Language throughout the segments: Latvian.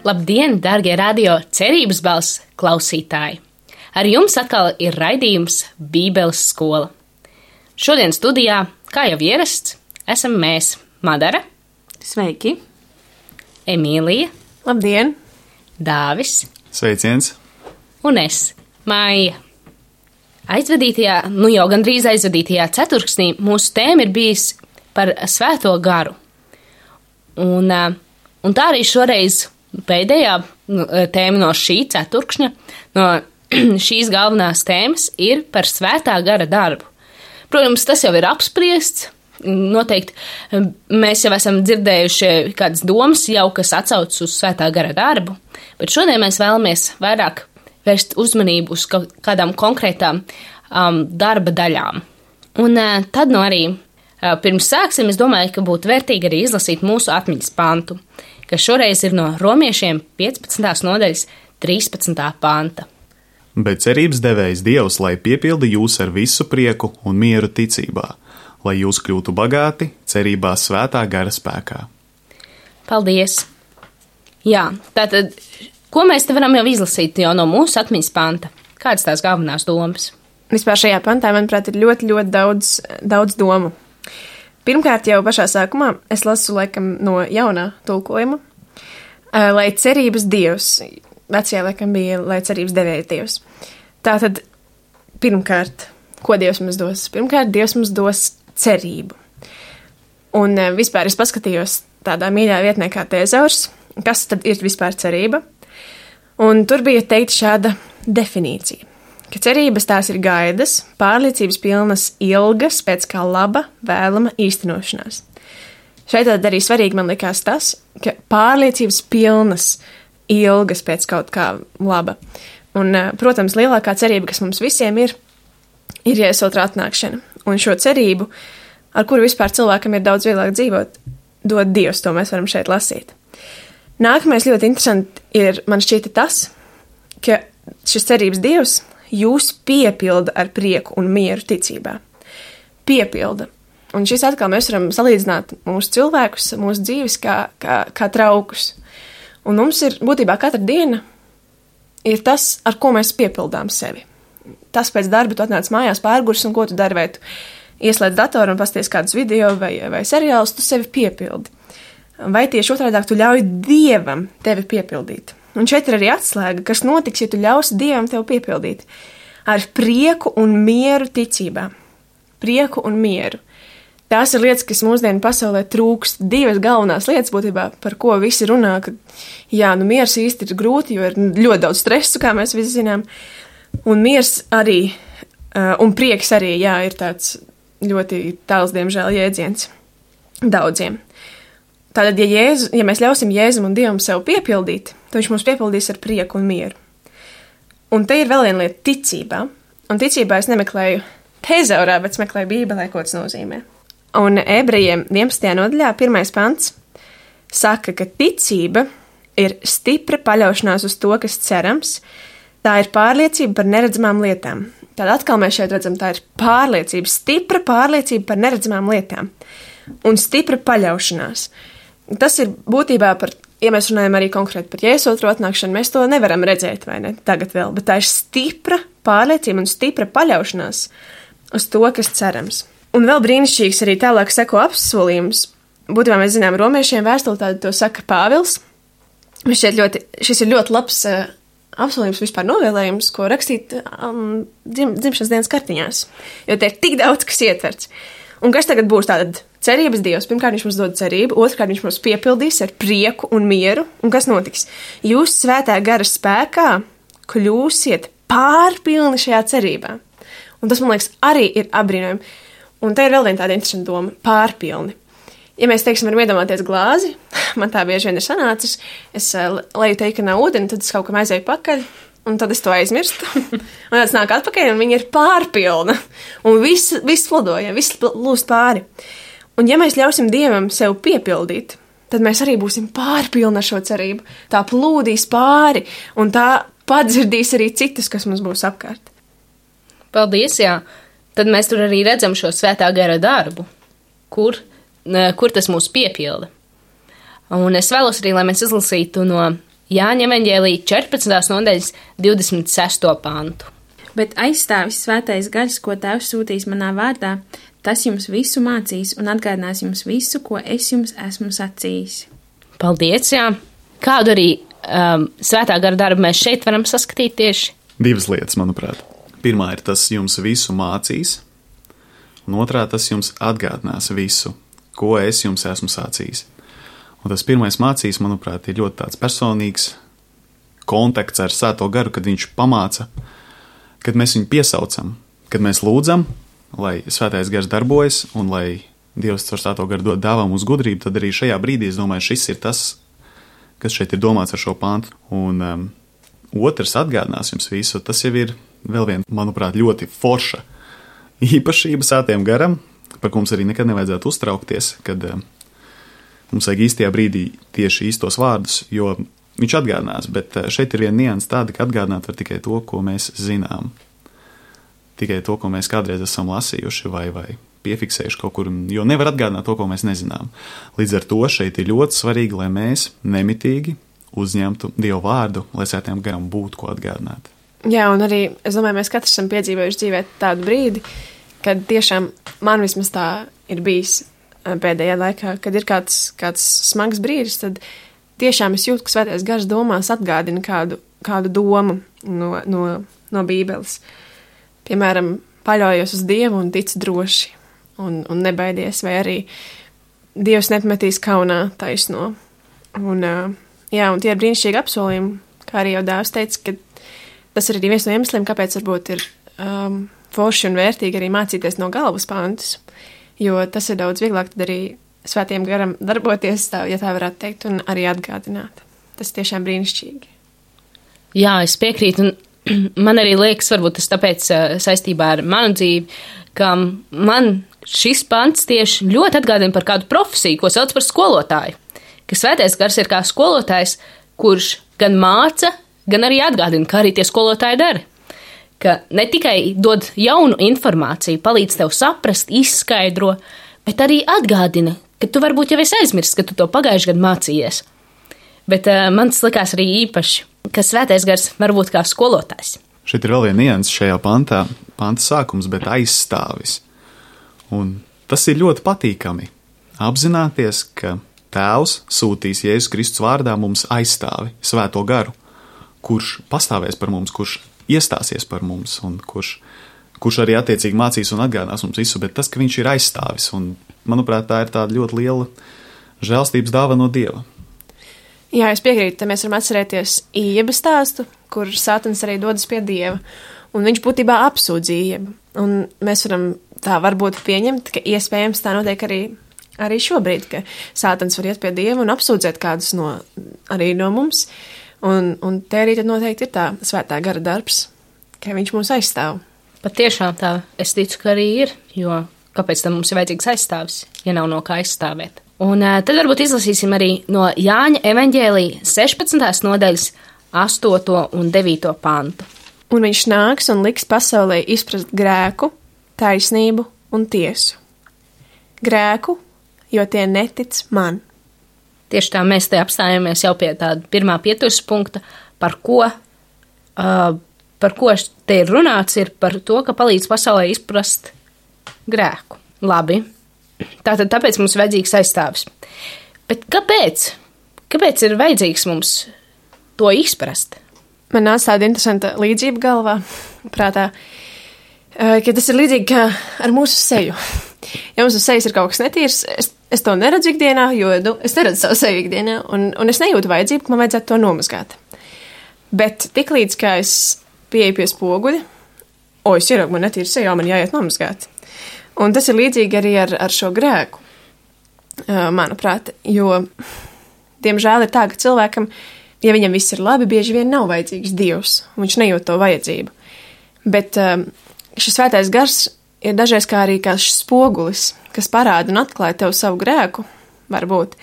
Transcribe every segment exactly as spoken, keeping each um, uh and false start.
Labdien, dārgie radio cerības balss klausītāji! Ar jums atkal ir raidījums Bībeles skola. Šodien studijā, kā jau ierasts, esam mēs Madara. Sveiki! Emīlija. Labdien! Dāvis. Sveiciens! Un es, Maija. Aizvadītajā, nu jau gandrīz aizvadītajā ceturksnī mūsu tēma ir bijis par svēto garu. Un, un tā arī šoreiz pēdējā tēma no šī ceturkšņa, no šīs galvenās tēmas ir par svētā gara darbu. Protams, tas jau ir apspriests, noteikti mēs jau esam dzirdējuši kādas domas jau, kas atsaucas uz svētā gara darbu, bet šodien mēs vēlamies vairāk vērst uzmanību uz kādām konkrētām um, darba daļām. Un uh, tad nu arī uh, pirms sāksim, es domāju, ka būtu vērtīgi arī izlasīt mūsu atmiņas pantu, kas šoreiz ir no Romiešiem piecpadsmitās nodaļas trīspadsmitā panta. Bet cerības devējs Dievs, lai piepilda jūs ar visu prieku un mieru ticībā, lai jūs kļūtu bagāti cerībā svētā gara spēkā. Paldies! Jā, tātad, ko mēs te varam jau izlasīt jau no mūsu atmiņas panta? Kādas tās galvenās domas? Vispār šajā pantā, manuprāt, ir ļoti, ļoti daudz, daudz domu. Pirmkārt, jau pašā sākumā es lasu laikam no jaunā tulkojuma, lai cerības Dievs, vecajā laikam bija, lai cerības devējs Dievs. Tātad, pirmkārt, ko Dievs mums dos? Pirmkārt, Dievs mums dos cerību. Un vispār es paskatījos tādā mīļā vietnē kā Tēzaurs, kas tad ir vispār cerība, un tur bija teikt šāda definīcija. Ka cerības tās ir gaidas, pārliecības pilnas ilgas pēc kā laba, vēlama īstenošanās. Šeit tad arī svarīgi man likās tas, ka pārliecības pilnas ilgas pēc kaut kā laba. Un, protams, lielākā cerība, kas mums visiem ir, ir Jēzus otrā atnākšana. Un šo cerību, ar kuru vispār cilvēkam ir daudz vieglāk dzīvot, dod Dievs, to mēs varam šeit lasīt. Nākamais ļoti interesanti ir, man šķita tas, ka šis cerības Dievs jūs piepilda ar prieku un mieru ticībā. Piepilda. Un šis atkal mēs varam salīdzināt mūsu cilvēkus, mūsu dzīves kā, kā, kā traukus. Un mums ir būtībā katra diena ir tas, ar ko mēs piepildām sevi. Tas pēc darba tu atnāc mājās pārgurs un ko tu dari, vai tu ieslēdz datoru un pasties kādus video vai, vai seriālus, tu sevi piepildi. Vai tieši otrādāk tu ļauj Dievam tevi piepildīt. Un šeit ir arī atslēga, kas notiks, ja tu ļausi Dievam tev piepildīt. Ar prieku un mieru ticībā. Prieku un mieru. Tās ir lietas, kas mūsdienu pasaulē trūkst. Divas galvenās lietas būtībā, par ko visi runā, ka jā, nu miers īsti ir grūti, jo ir ļoti daudz stresu, kā mēs visi zinām. Un miers arī, un prieks arī, jā, ir tāds ļoti tāls, diemžēl, jēdziens daudziem. Tātad, ja, Jēzu, ja mēs ļausim Jēzum un Dievam sev piepildīt, tad viņš mums piepildīs ar prieku un mieru. Un te ir vēl viena lieta ticībā. Un ticībā es nemeklēju Tēzaurā, bet meklēju Bībelē, ko tas nozīmē. Un Ebrejiem vienpadsmitajā nodaļā pirmais pants saka, ka ticība ir stipra paļaušanās uz to, kas cerams. Tā ir pārliecība par neredzamām lietām. Tad atkal mēs šeit redzam, tā ir pārliecība, stipra pārliecība par neredzamām lietām. Un stipra paļaušanās. Tas ir būtībā par, ja mēs runājam arī konkrēti par Jēzus otro atnākšanu, mēs to nevaram redzēt, vai ne, tagad vēl, bet tā ir stipra pārliecība un stipra paļaušanās uz to, kas cerams. Un vēl brīnišķīgs arī tālāk seko apsolījums. Būtībā mēs zinām, romiešiem vēstuli tādu to saka Pāvils. Šeit ļoti, šis ir ļoti labs uh, apsolījums vispār novēlējums, ko rakstīt um, dzim, dzimšanas dienas kartiņās, jo te ir tik daudz, kas ietverts. Un kas tagad būs tātad cerības Dievs? Pirmkārt, viņš mums dod cerību, otrkārt, viņš mums piepildīs ar prieku un mieru. Un kas notiks? Jūs svētā gara spēkā kļūsiet pārpilni šajā cerībā. Un tas, man liekas, arī ir apbrīnojami. Un te ir vēl viena tāda interesanta doma – pārpilni. Ja mēs, teiksim, varam iedomāties glāzi, man tā bieži vien ir sanācis, es leju teikanā ūdeni, tad es kaut kam aizēju pakaļ, un tad es to aizmirstu. Un tāds nāk atpakaļ, un viņa ir pārpilna. Un viss, viss flodoja, viss lūst pāri. Un ja mēs ļausim Dievam sev piepildīt, tad mēs arī būsim pārpilni ar šo cerību. Tā plūdīs pāri, un tā padzirdīs arī citus, kas mums būs apkārt. Paldies, jā. Tad mēs tur arī redzam šo svētā gara darbu, kur, kur tas mūs piepilda. Un es vēlos arī, lai mēs izlasītu no Jāņa evaņģēlija četrpadsmitās nodaļas divdesmit sesto pantu. Bet aizstāvis svētais gars, ko Tēvs sūtīs manā vārdā, tas jums visu mācīs un atgādinās jums visu, ko es jums esmu sacījis. Paldies, jā. Kādu arī um, svētā gara darbu mēs šeit varam saskatīt tieši? Divas lietas, manuprāt. Pirmā ir tas jums visu mācīs, un otrā tas jums atgādinās visu, ko es jums esmu sacījis. Un tas pirmais mācīs, manuprāt, ir ļoti tāds personīgs kontakts ar Svēto garu, kad viņš pamāca, kad mēs viņu piesaucam, kad mēs lūdzam, lai Svētais gars darbojas un lai Dievs caur Svēto garu dod dāvā mums gudrību, tad arī šajā brīdī, es domāju, šis ir tas, kas šeit ir domāts ar šo pantu. Un um, otrs atgādinās jums visu, tas jau ir vēl viena, manuprāt, ļoti forša īpašība Svētajam garam, par ko mums arī nekad nevajadzētu uztraukties, kad um, mums vajag īstajā brīdī tieši īstos vārdus, jo viņš atgādinās, bet šeit ir viena nianse tāda, ka atgādināt var tikai to, ko mēs zinām. Tikai to, ko mēs kādreiz esam lasījuši vai, vai piefiksējuši kaut kur, jo nevar atgādināt to, ko mēs nezinām. Līdz ar to šeit ir ļoti svarīgi, lai mēs nemitīgi uzņemtu Dievu vārdu, lai Svētajam garam būtu ko atgādināt. Jā, un arī, es domāju, mēs katrs esam piedzīvojuši dzīvē tādu brīdi, kad tiešām man vismaz tā ir bijis pēdējā laikā, kad ir kāds, kāds smags brīdis, tad tiešām es jūtu, ka Svētais gars domās atgādina kādu, kādu domu no, no, no Bībeles. Piemēram, paļaujos uz Dievu un ticu droši un, un nebaidies, vai arī Dievs nepametīs kaunā taisno. Un, jā, un tie ir brīnišķīgi apsolījumi, kā arī jau dāvs teica, ka tas ir arī viens no iemesliem, kāpēc varbūt ir um, forši un vērtīgi arī mācīties no galvas pantus. Jo tas ir daudz vieglāk tad arī Svētajam garam darboties, tā, ja tā varētu teikt, un arī atgādināt. Tas tiešām brīnišķīgi. Jā, es piekrītu, un man arī liekas, varbūt tas tāpēc saistībā ar manu dzīvi, ka man šis pants tieši ļoti atgādina par kādu profesiju, ko sauc par skolotāju. Ka Svētais gars ir kā skolotājs, kurš gan māca, gan arī atgādina, kā arī tie skolotāji dara. Ka ne tikai dod jaunu informāciju, palīdz tev saprast, izskaidro, bet arī atgādina, ka tu varbūt jau esi aizmirsis, ka tu to pagājuši gadu mācījies. Bet uh, man tas likās arī īpaši, ka Svētais gars var būt kā skolotājs. Šeit ir vēl viena nianse šajā pantā, panta sākums, bet aizstāvis. Un tas ir ļoti patīkami apzināties, ka Tēvs sūtīs Jēzus Kristus vārdā mums aizstāvi, Svēto garu, kurš pastāvēs par mums, kurš iestāsies par mums un kurš, kurš arī attiecīgi mācīs un atgādinās mums visu, bet tas, ka viņš ir aizstāvis, un, manuprāt, tā ir tāda ļoti liela žēlstības dāvana no Dieva. Jā, es piekrītu, te mēs varam atcerēties Ieba stāstu, kur Sātans arī dodas pie Dieva, un viņš būtībā apsūdz Iebu, un mēs varam tā varbūt pieņemt, ka iespējams tā notiek arī, arī šobrīd, ka Sātans var iet pie Dieva un apsūdzēt kādus no, arī no mums, un, un te arī tad noteikti ir tā Svētā gara darbs, ka viņš mūs aizstāv. Pat tiešām tā, es ticu, ka arī ir, jo kāpēc tam mums ir vajadzīgs aizstāvis, ja nav no kā aizstāvēt. Un uh, tad varbūt izlasīsim arī no Jāņa evaņģēlija sešpadsmitās nodaļas astoto un devīto pantu. Un viņš nāks un liks pasaulē izprast grēku, taisnību un tiesu. Grēku, jo tie netic man. Tieši tā mēs te apstājamies jau pie tāda pirmā pieturas punkta, par ko, uh, par ko te ir runāts, ir par to, ka palīdz pasaulē izprast grēku. Labi, tātad tāpēc mums ir vajadzīgs aizstāvis. Bet kāpēc? Kāpēc ir vajadzīgs mums to izprast? Man nāca tāda interesanta līdzība galvā, prātā, ka tas ir līdzīgi kā ar mūsu seju. Ja mums uz sejas ir kaut kas netīrs, es, es to neredzu ikdienā, jo nu, es neredzu savu seju ikdienā, un, un es nejūtu vajadzību, ka man vajadzētu to nomazgāt. Bet tiklīdz, kā es pieeju pie spoguļa, o, es ieraugu, man netīra seja, man jāiet nomazgāt. Un tas ir līdzīgi arī ar, ar šo grēku, manuprāt, jo, diemžēl, ir tā, ka cilvēkam, ja viņam viss ir labi, bieži vien nav vajadzīgs Dievs, un viņš nejūt to vajadzību. Bet šis Svētais gars ir dažreiz kā arī kā šis spogulis, kas parāda un atklāja tev savu grēku, varbūt,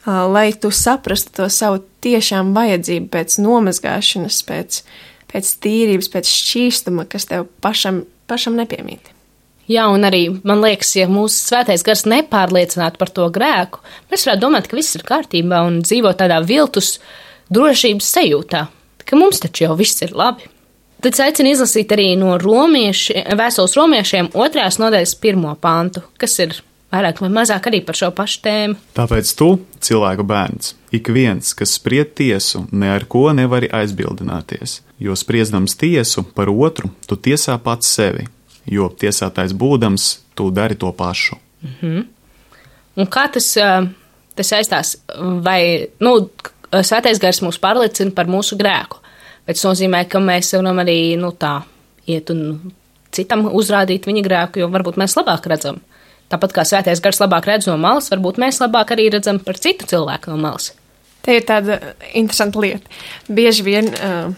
lai tu saprastu to savu tiešām vajadzību pēc nomazgāšanas, pēc, pēc tīrības, pēc šķīstuma, kas tev pašam, pašam nepiemīt. Jā, un arī, man liekas, ja mūsu Svētais gars nepārliecinātu par to grēku, mēs varētu domāt, ka viss ir kārtībā un dzīvo tādā viltus drošības sajūtā, ka mums taču jau viss ir labi. Tad es aicinu izlasīt arī no romieši, vēstules romiešiem otrās nodaļas pirmo pantu, kas ir vairāk vai mazāk arī par šo pašu tēmu. Tāpēc tu, cilvēku bērns, ik viens, kas spried tiesu, ne ar ko nevari aizbildināties, jo spriedams tiesu par otru, tu tiesā pats sevi, jo tiesātais būdams, tu dari to pašu. Mhm. Un kā tas, tas saistās? Vai, nu, Svētais Gars mūs pārliecina par mūsu grēku, bet tas nozīmē, ka mēs varam arī, nu, tā iet un citam uzrādīt viņa grēku, jo varbūt mēs labāk redzam. Tāpat kā Svētais Gars labāk redz no malas, varbūt mēs labāk arī redzam par citu cilvēku no malas. Te ir tāda interesanta lieta. Bieži vien uh,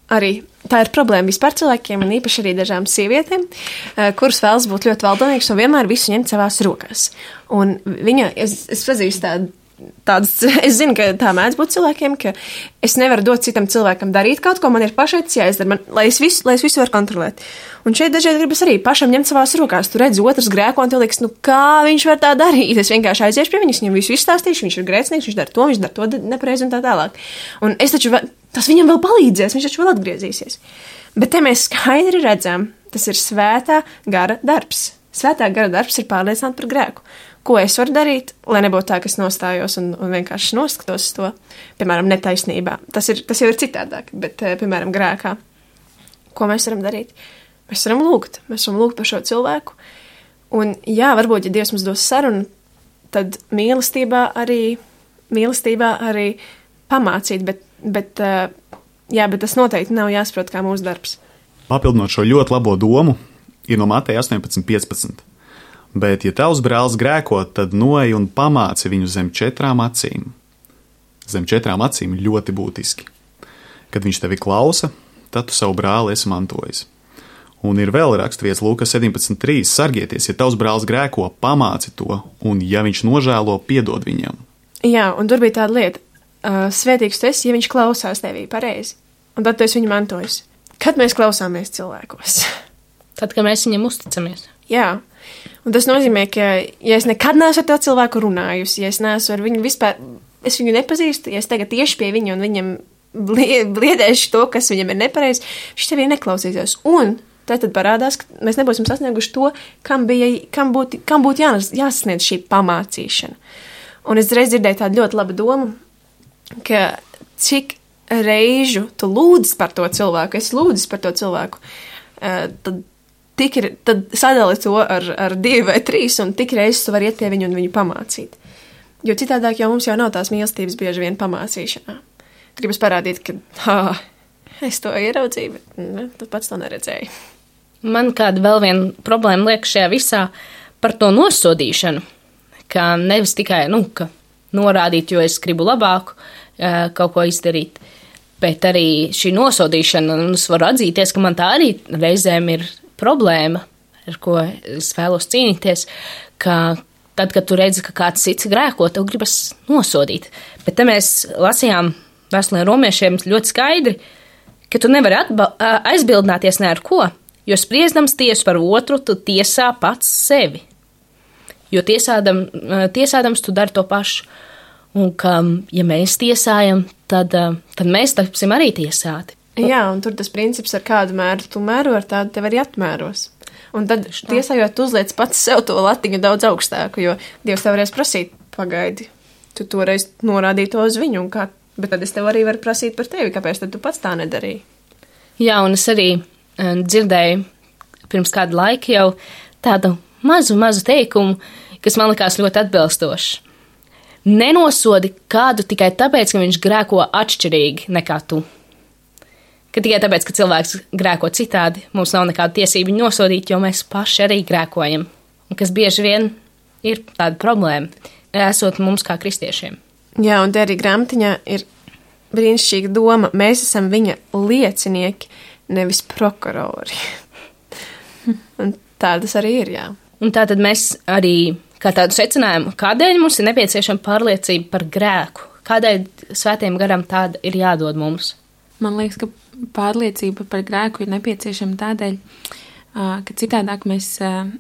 arī tā ir problēma vispār cilvēkiem, un īpaši arī dažām sievietēm, uh, kuras vēlas būt ļoti valdonīgas un vienmēr visu ņemt savās rokās. Un viņa, es, es pazīstu tādu, tādas, es zinu, ka tā mēdz būt cilvēkiem, ka es nevaru dot citam cilvēkam darīt kaut ko, man ir pašai tas jāizdara, man, lai, es visu, lai es visu varu kontrolēt. Un šeit dažreiz gribas arī pašam ņemt savās rokās. Tu redzi otrs grēko, un tev liekas, nu kā viņš var tā darīt? Es vienkārši aiziešu pie viņas, viņam visu izstāstīšu, viņš ir grēcinieks, viņš dara to, viņš dara to nepareizi un tā tālāk. Un es taču, tas viņam vēl palīdzēs, viņš taču vēl atgriezīsies. Bet te mēs skaidri redzam, tas ir svētā gara darbs. Svētā gara darbs ir pārliecināt par grēku. Ko es varu darīt, lai nebūtu tā, ka es nostājos un, un vienkārši noskatos to, piemēram, netaisnībā. Tas, ir, tas jau ir citādāk, bet, piemēram, grēkā. Ko mēs varam darīt? Mēs varam lūgt. Mēs varam lūgt par šo cilvēku. Un jā, varbūt, ja Dievs mums dos sarunu, tad mīlestībā arī, mīlestībā arī pamācīt, bet, bet, jā, bet tas noteikti nav jāsaprot kā mūsu darbs. Papildinot šo ļoti labo domu, ir no Mateja astoņpadsmit piecpadsmit. Bet, ja tavs brālis grēko, tad noej un pamāci viņu zem četrām acīm. Zem četrām acīm ļoti būtiski. Kad viņš tevi klausa, tad tu savu brāli esi mantojis. Un ir vēl raksturvietas Lūkas sedemnадцать trīs. Sargieties, ja tavs brālis grēko, pamāci to, un ja viņš nožēlo, piedod viņam. Jā, un tur bija tāda lieta. Uh, svētīgs tu esi, ja viņš klausās tevī pareizi. Un tad tu esi viņu mantojis. Kad mēs klausāmies cilvēkos? Tad, kad mēs viņam uzticamies. Jā. Un tas nozīmē, ka, ja es nekad neesmu ar to cilvēku runājusi, ja es neesmu ar viņu vispār, es viņu nepazīstu, ja es tagad tieši pie viņa un viņam bliedēšu to, kas viņam ir nepareizi, viņš tev neklausīsies. Un tad, tad parādās, ka mēs nebūsim sasnieguši to, kam, bija, kam būtu kam būt jānas, jāsasniedz šī pamācīšana. Un es reiz dzirdēju tādu ļoti labu domu, ka cik reižu tu lūdzi par to cilvēku, es lūdzu par to cilvēku, tad Tik ir, tad sadali to ar, ar divi vai trīs, un tik reizes tu vari iet pie viņu un viņu pamācīt. Jo citādāk jau mums jau nav tās mīlestības bieži vien pamācīšanā. Gribas parādīt, ka ah, es to ieraudzīju, bet ne, tu pats to neredzēji. Man kāda vēl viena problēma liek šajā visā par to nosodīšanu, ka nevis tikai, nu, ka norādīt, jo es gribu labāku kaut ko izdarīt, bet arī šī nosodīšana, un es varu atzīties, ka man tā arī reizēm ir problēma, ar ko es vēlos cīnīties, ka tad, kad tu redzi, ka kāds cits grēko, tev gribas nosodīt. Bet te mēs lasījām vēstulē romiešiem ļoti skaidri, ka tu nevari atba- aizbildināties ne ar ko, jo spriedams tiesu par otru, tu tiesā pats sevi. Jo tiesādam, tiesādams tu dari to pašu. Un ka, ja mēs tiesājam, tad, tad mēs tapsim arī tiesāti. Jā, un tur tas princips, ar kādu mēru tu mēro, ar tādu tev arī atmēros. Un tad tiesājot, tu uzliec pats sev to latiņu daudz augstāku, jo Dievs tev varēs prasīt, pagaidi, tu toreiz norādīji to uz viņu, un kā, bet tad es tev arī varu prasīt par tevi, kāpēc tad tu pats tā nedarīji. Jā, un es arī um, dzirdēju pirms kādu laiku jau tādu mazu, mazu teikumu, kas man likās ļoti atbilstošs. Nenosodi kādu tikai tāpēc, ka viņš grēko atšķirīgi nekā tu. Ka tikai tāpēc, ka cilvēks grēko citādi, mums nav nekāda tiesība viņu nosodīt, jo mēs paši arī grēkojam. Un kas bieži vien ir tāda problēma, esot mums kā kristiešiem. Jā, un te arī grāmatiņā ir brīnišķīga doma. Mēs esam viņa liecinieki, nevis prokurori. Un tā tas arī ir, jā. Un tā tad mēs arī, kā tādu secinājumu, kādēļ mums ir nepieciešama pārliecība par grēku? Kādēļ svētajam garam tāda ir jādod mums? Man liekas, ka pārliecība par grēku ir nepieciešama tādēļ, ka citādāk mēs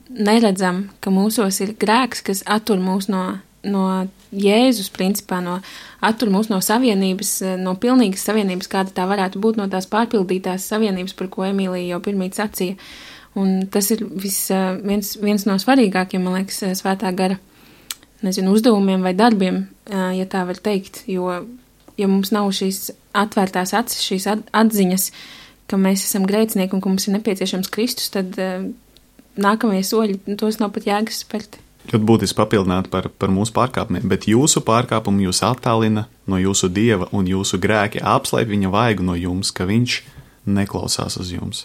neredzam, ka mūsos ir grēks, kas attur mūs no, no Jēzus principā no, attur mūs no savienības, no pilnīgas savienības, kāda tā varētu būt, no tās pārpildītās savienības, par ko Emīlija jau pirmīt sacīja. Un tas ir vis, viens, viens no svarīgākiem, man liekas, svētā gara, nezinu, uzdevumiem vai darbiem, ja tā var teikt, jo, ja mums nav šīs atvērtās acis, šīs atziņas, ka mēs esam grēcinieki un ka mums ir nepieciešams Kristus, tad nākamie soļi, tos nav pat jēgas spērt. Ļoti būtiski papildināt par, par mūsu pārkāpumiem, bet jūsu pārkāpumu jūs attālina no jūsu Dieva un jūsu grēki apslēp viņa vaigu no jums, ka viņš neklausās uz jums.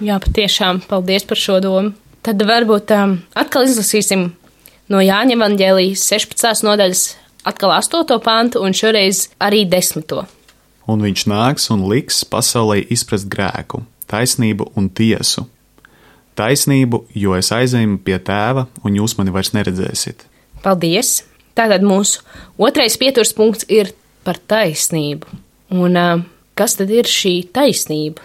Jā, patiešām, paldies par šo domu. Tad varbūt um, atkal izlasīsim no Jāņa evaņģēlijas sešpadsmitās nodaļas atkal astoto pantu un šoreiz arī desmito. Un viņš nāks un liks pasaulē izprast grēku, taisnību un tiesu. Taisnību, jo es aizēju pie tēva, un jūs mani vairs neredzēsiet. Paldies! Tātad mūsu otrais pieturs punkts ir par taisnību. Un uh, kas tad ir šī taisnība?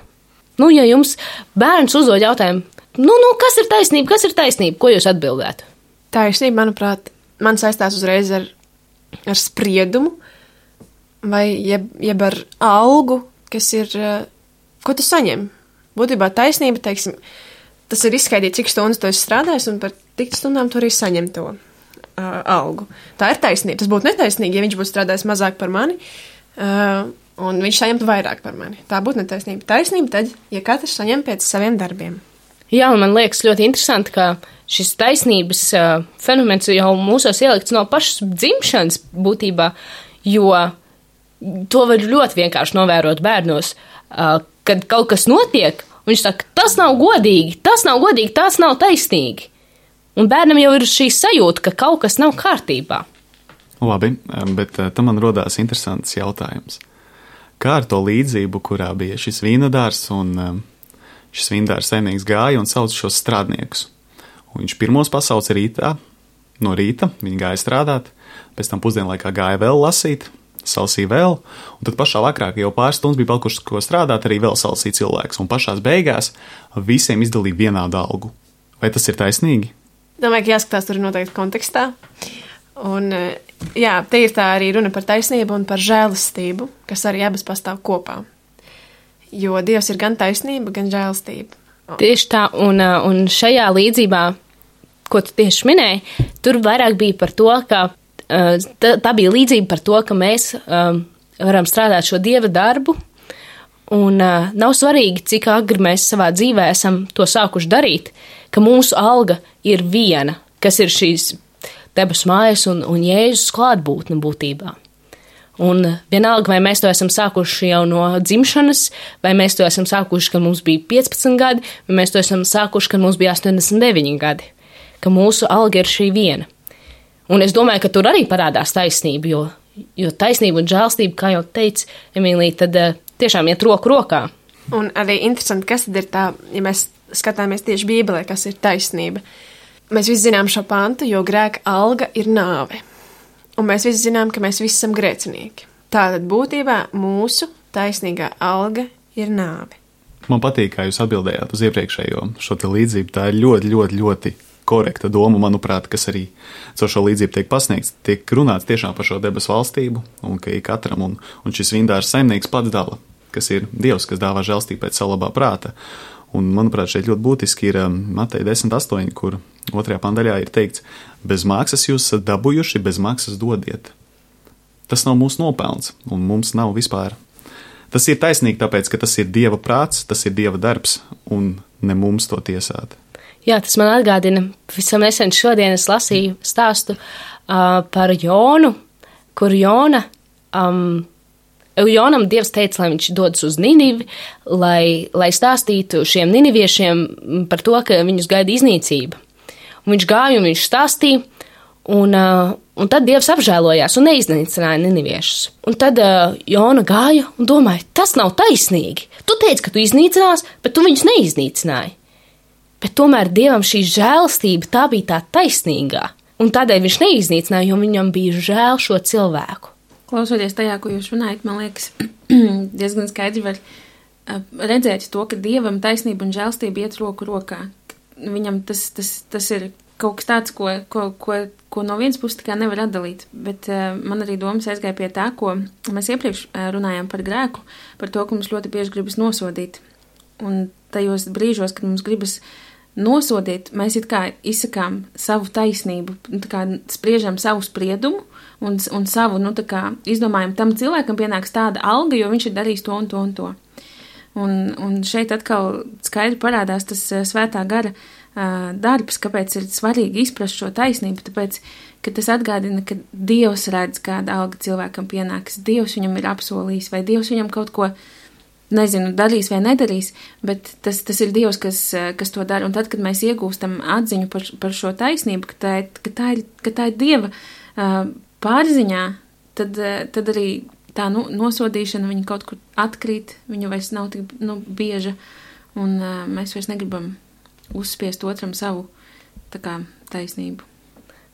Nu, ja jums bērns uzdod jautājumu, nu, nu, kas ir taisnība, kas ir taisnība, ko jūs atbildētu? Taisnība, manuprāt, man saistās uzreiz ar, ar spriedumu, vai jeb, jeb ar algu, kas ir, uh, ko tu saņem. Būtībā taisnība, teiksim, tas ir izskaidīt, cik stundas tu esi strādājis, un par tik stundām tu arī saņem to uh, algu. Tā ir taisnība. Tas būtu netaisnīgi, ja viņš būtu strādājis mazāk par mani, uh, un viņš saņemtu vairāk par mani. Tā būtu netaisnība. Taisnība tad, ja katrs saņem pēc saviem darbiem. Jā, un man liekas ļoti interesanti, ka šis taisnības uh, fenomens jau mūsos ielikts no pašas dzimšanas būtībā, jo to var ļoti vienkārši novērot bērnos, uh, kad kaut kas notiek. Viņš saka, tas nav godīgi, tas nav godīgi, tas nav taisnīgi. Un bērnam jau ir šī sajūta, ka kaut kas nav kārtībā. Labi, bet tam man rodās interesants jautājums. Kā ar to līdzību, kurā bija šis vīnodārs un šis vīnodārs saimnieks gāja un sauc šos strādniekus? Un viņš pirmos pasauca rītā, no rīta, viņi gāja strādāt, pēc tam pusdienlaikā gāja vēl lasīt, salsīja vēl, un tad pašā vakarā, jau pāris stundas bija palikušas, ko strādāt, arī vēl salsīja cilvēks, un pašās beigās visiem izdalīja vienādu algu. Vai tas ir taisnīgi? Domāju, ka jāskatās tur noteikti kontekstā, un jā, te ir tā arī runa par taisnību un par žēlastību, kas arī abas pastāv kopā, jo Dievs ir gan taisnība, gan žēlastība. Tieši tā, un, un šajā līdzībā, ko tu tieši minēji, tur vairāk bija par to, ka Tā, tā bija līdzība par to, ka mēs um, varam strādāt šo Dieva darbu, un uh, nav svarīgi, cik agri mēs savā dzīvē esam to sākuši darīt, ka mūsu alga ir viena, kas ir šīs debesu mājas un, un Jēzus klātbūtne būtībā. Un vienalga, vai mēs to esam sākuši jau no dzimšanas, vai mēs to esam sākuši, kad mums bija piecpadsmit gadi, vai mēs to esam sākuši, kad mums bija astoņdesmit deviņi gadi, ka mūsu alga ir šī viena. Un es domāju, ka tur arī parādās taisnība, jo, jo taisnība un žēlstība, kā jau teica Emīlija, tad uh, tiešām iet roku rokā. Un arī interesanti, kas tad ir tā, ja mēs skatāmies tieši Bībelē, kas ir taisnība. Mēs visi zinām šo pantu, jo grēka alga ir nāve. Un mēs visi zinām, ka mēs visi esam grēcinieki. Tātad būtībā mūsu taisnīgā alga ir nāve. Man patīk, kā jūs atbildējāt uz iepriekšējo šo te līdzību. Tā ir ļoti, ļoti, ļoti korekta doma, manuprāt, kas arī caur šo līdzību tiek pasniegts. Tiek runāts tiešām par šo debesu valstību, un ka ik katram, un, un šis vīndārs saimnieks pats dala, kas ir Dievs, kas dāvā žēlstību pēc savu labā prāta. Un, manuprāt, šeit ļoti būtiski ir Mateja desmit astoņi, kur otrajā pandaļā ir teikts, bez maksas jūs esat dabūjuši, bez maksas dodiet. Tas nav mūsu nopelns, un mums nav vispār. Tas ir taisnīgi, tāpēc, ka tas ir Dieva prāts, tas ir Dieva darbs, un ne mums to tiesāt. Jā, tas man atgādina, visam nesen šodien es lasīju stāstu uh, par Jonu, kur Jona, um, Jonam Dievs teica, lai viņš dodas uz Ninivi, lai, lai stāstītu šiem niniviešiem par to, ka viņus gaida iznīcība. Un viņš gāja un viņš stāstīja, un, uh, un tad Dievs apžēlojās un neiznīcināja niniviešus. Un tad uh, Jona gāja un domāja, tas nav taisnīgi. Tu teici, ka tu iznīcinās, bet tu viņus neiznīcināji. Bet tomēr Dievam šī žēlastība, tā bija tā taisnīgā, un tādēļ viņš neiznīcināja, jo viņam bija žēl šo cilvēku. Klausoties tajā, ko jūs runājat, man liekas, diezgan skaidri var redzēt to, ka Dievam taisnība un žēlastība iet roku rokā. Viņam tas, tas, tas ir kaut kas tāds, ko, ko, ko, ko no vienas puses tā kā nevar atdalīt, bet uh, man arī domas aizgāja pie tā, ko mēs iepriekš uh, runājām par grēku, par to, ka mums ļoti bieži gribas nosodīt. Un tajos brīžos, kad mums gribas nosodīt, mēs it kā izsakām savu taisnību, tā kā spriežam savu spriedumu un, un savu, nu tā kā izdomājam, tam cilvēkam pienāks tāda alga, jo viņš ir darījis to un to un to. Un, un šeit atkal skaidri parādās tas uh, svētā gara uh, darbs, kāpēc ir svarīgi izprast šo taisnību, tāpēc, ka tas atgādina, ka Dievs redz, kāda alga cilvēkam pienāks, Dievs viņam ir apsolījis, vai Dievs viņam kaut ko, nezinu, darīs vai nedarīs, bet tas, tas ir Dievs, kas, kas to dara. Un tad, kad mēs iegūstam atziņu par, par šo taisnību, ka tā ir, ka tā ir, ka tā ir Dieva uh, pārziņā, tad, uh, tad arī tā nu, nosodīšana, viņa kaut kur atkrīt, viņa vairs nav tik nu, bieža, un uh, mēs vairs negribam uzspiest otram savu tā kā taisnību.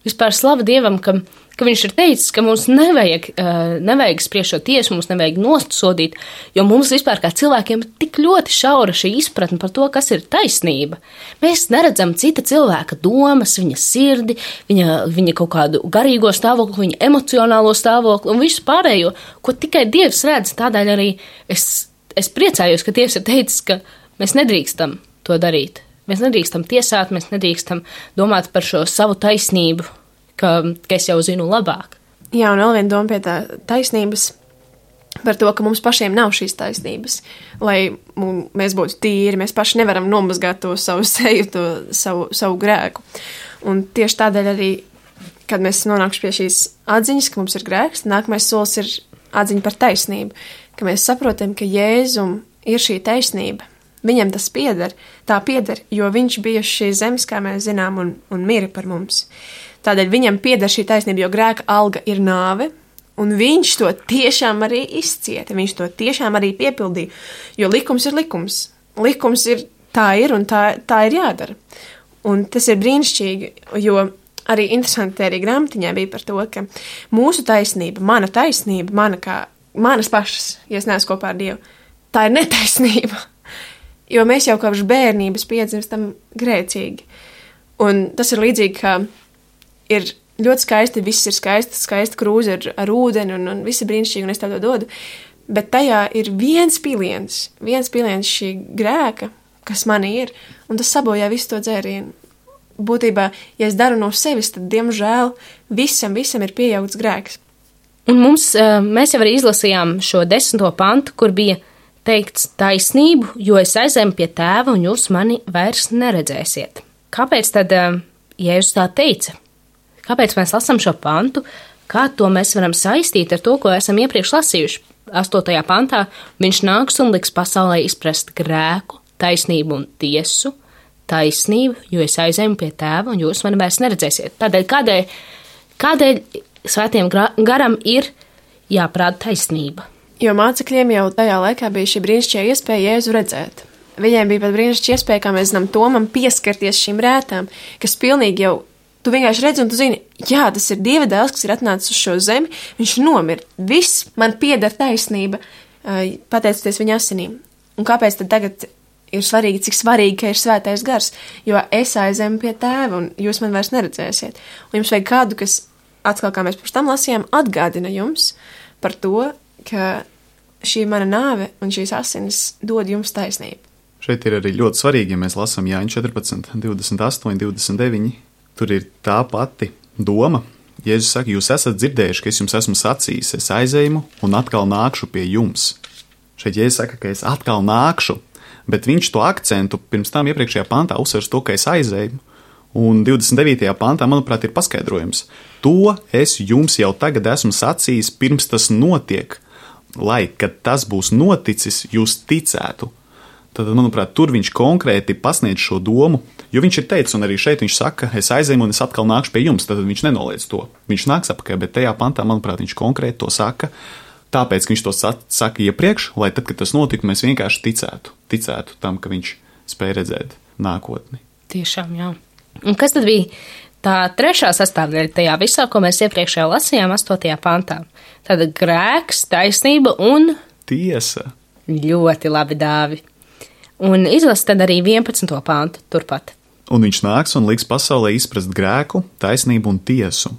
Vispār slava Dievam, ka, ka viņš ir teicis, ka mums nevajag, uh, nevajag spriest šo tiesu, mums nevajag nosodīt, jo mums vispār kā cilvēkiem ir tik ļoti šaura šī izpratne par to, kas ir taisnība. Mēs neredzam cita cilvēka domas, viņa sirdi, viņa, viņa kaut kādu garīgo stāvokli, viņa emocionālo stāvokli un visu pārējo, ko tikai Dievs redz. Tādēļ arī es, es priecājos, ka Dievs ir teicis, ka mēs nedrīkstam to darīt. Mēs nedrīkstam tiesāt, mēs nedrīkstam domāt par šo savu taisnību, ka, ka es jau zinu labāk. Jā, un vēl viena doma pie tā taisnības par to, ka mums pašiem nav šīs taisnības, lai mēs būtu tīri, mēs paši nevaram nomazgāt to savu seju, to savu, savu grēku. Un tieši tādēļ arī, kad mēs nonāksim pie šīs atziņas, ka mums ir grēks, nākamais solis ir atziņa par taisnību, ka mēs saprotam, ka Jēzum ir šī taisnība. Viņam tas pieder, tā pieder, jo viņš bija šīs zemes, kā mēs zinām, un, un mira par mums. Tādēļ viņam pieder šī taisnība, jo grēka alga ir nāve, un viņš to tiešām arī izcieta, viņš to tiešām arī piepildīja, jo likums ir likums. Likums ir tā ir, un tā, tā ir jādara. Un tas ir brīnišķīgi, jo arī interesanti arī grāmatiņā bija par to, ka mūsu taisnība, mana taisnība, mana kā, manas pašas, ja es neesmu kopā ar Dievu, tā ir netaisnība. Jo mēs jau kopš bērnības piedzimstam grēcīgi. Un tas ir līdzīgi, kā ir ļoti skaisti, viss ir skaisti, skaista krūze ar, ar ūdeni un, un viss ir brīnišķīgi, un es tev to dodu. Bet tajā ir viens piliens, viens piliens šī grēka, kas manī ir, un tas sabojā visu to dzērienu. Būtībā, ja es daru no sevis, tad, diemžēl, visam, visam ir pieaugts grēks. Un mums, mēs jau arī izlasījām šo desmito pantu, kur bija teikts taisnību, jo es aizēju pie tēva un jūs mani vairs neredzēsiet. Kāpēc tad Jēzus tā teica? Kāpēc mēs lasām šo pantu? Kā to mēs varam saistīt ar to, ko esam iepriekš lasījuši? astotajā pantā viņš nāks un liks pasaulē izprast grēku, taisnību un tiesu. Taisnību, jo es aizēju pie tēva un jūs mani vairs neredzēsiet. Tādēļ, kādēļ, kādēļ svētiem garam ir jāprāda taisnība? Jo mācekļiem jau tajā laikā bija šī brīnišķīga iespēja Jēzu redzēt. Viņiem bija pat brīnišķīga iespēja, kā mēs zinām, Tomam pieskarties šīm rētām, kas pilnīgi jau, tu vienkārši redzi un tu zini, jā, tas ir Dieva dēls, kas ir atnācis uz šo zemi, viņš nomir. Viss man pieder taisnība, pateicoties viņa asinīm. Un kāpēc tad tagad ir svarīgi, cik svarīgi, ka ir svētais gars? Jo es aizēju pie tēva un jūs man vairs neredzēsiet. Un jums vajag kādu, kas, atkal kā mēs pirms tam lasījām, atgādina jums par to, ka šī mana nāve un šīs asinis dod jums taisnību. Šeit ir arī ļoti svarīgi, ja mēs lasām Jāņa četrpadsmit, divdesmit astoņi, divdesmit deviņi. Tur ir tā pati doma. Jēzus saka, jūs esat dzirdējuši, ka es jums esmu sacījis, es aizēju un atkal nākšu pie jums. Šeit Jēzus saka, ka es atkal nākšu, bet viņš to akcentu pirms tam iepriekšējā pantā uzsvers to, ka es aizēju. Un divdesmit devītajā pantā, manuprāt, ir paskaidrojums. To es jums jau tagad esmu sacījis, pirms tas notiek, lai, kad tas būs noticis, jūs ticētu. Tad, manuprāt, tur viņš konkrēti pasniedz šo domu, jo viņš ir teicis, un arī šeit viņš saka, es aizēju un es atkal nākšu pie jums, tad viņš nenoliedz to. Viņš nāks apakaļ, bet tajā pantā, manuprāt, viņš konkrēti to saka, tāpēc, ka viņš to saka iepriekš, lai tad, kad tas notika, mēs vienkārši ticētu, ticētu tam, ka viņš spēj redzēt nākotni. Tiešām, jā. Un kas tad bija tā trešā sastāvdaļa tajā visā, ko mēs iepriekšējā lasījām astotajā pantā? Tāda grēks, taisnība un tiesa. Ļoti labi, Dāvi. Un izlas tad arī vienpadsmito pantu turpat. Un viņš nāks un liks pasaulē izprast grēku, taisnību un tiesu.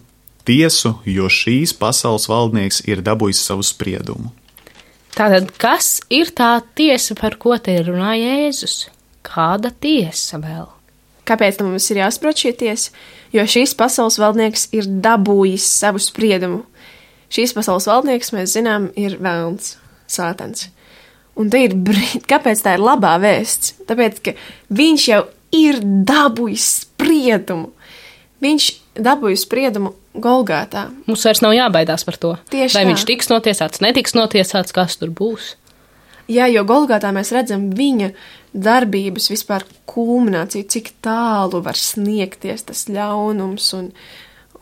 Tiesu, jo šīs pasaules valdnieks ir dabūjis savu spriedumu. Tātad, kas ir tā tiesa, par ko te runā Jēzus? Kāda tiesa vēl? Kāpēc mums ir jāsaprot šī tiesa? Jo šīs pasaules valdnieks ir dabūjis savu spriedumu. Šīs pasaules valdnieks, mēs zinām, ir velns, sātans. Un te ir brīd, kāpēc tā ir labā vēsts? Tāpēc, ka viņš jau ir dabūjis spriedumu. Viņš dabūjis spriedumu Golgātā. Mums vairs nav jābaidās par to. Tieši Vai tā. viņš tiks notiesāts, netiks notiesāts, kas tur būs. Jā, jo Golgātā mēs redzam viņa darbības vispār kulmināciju, cik tālu var sniegties tas ļaunums un,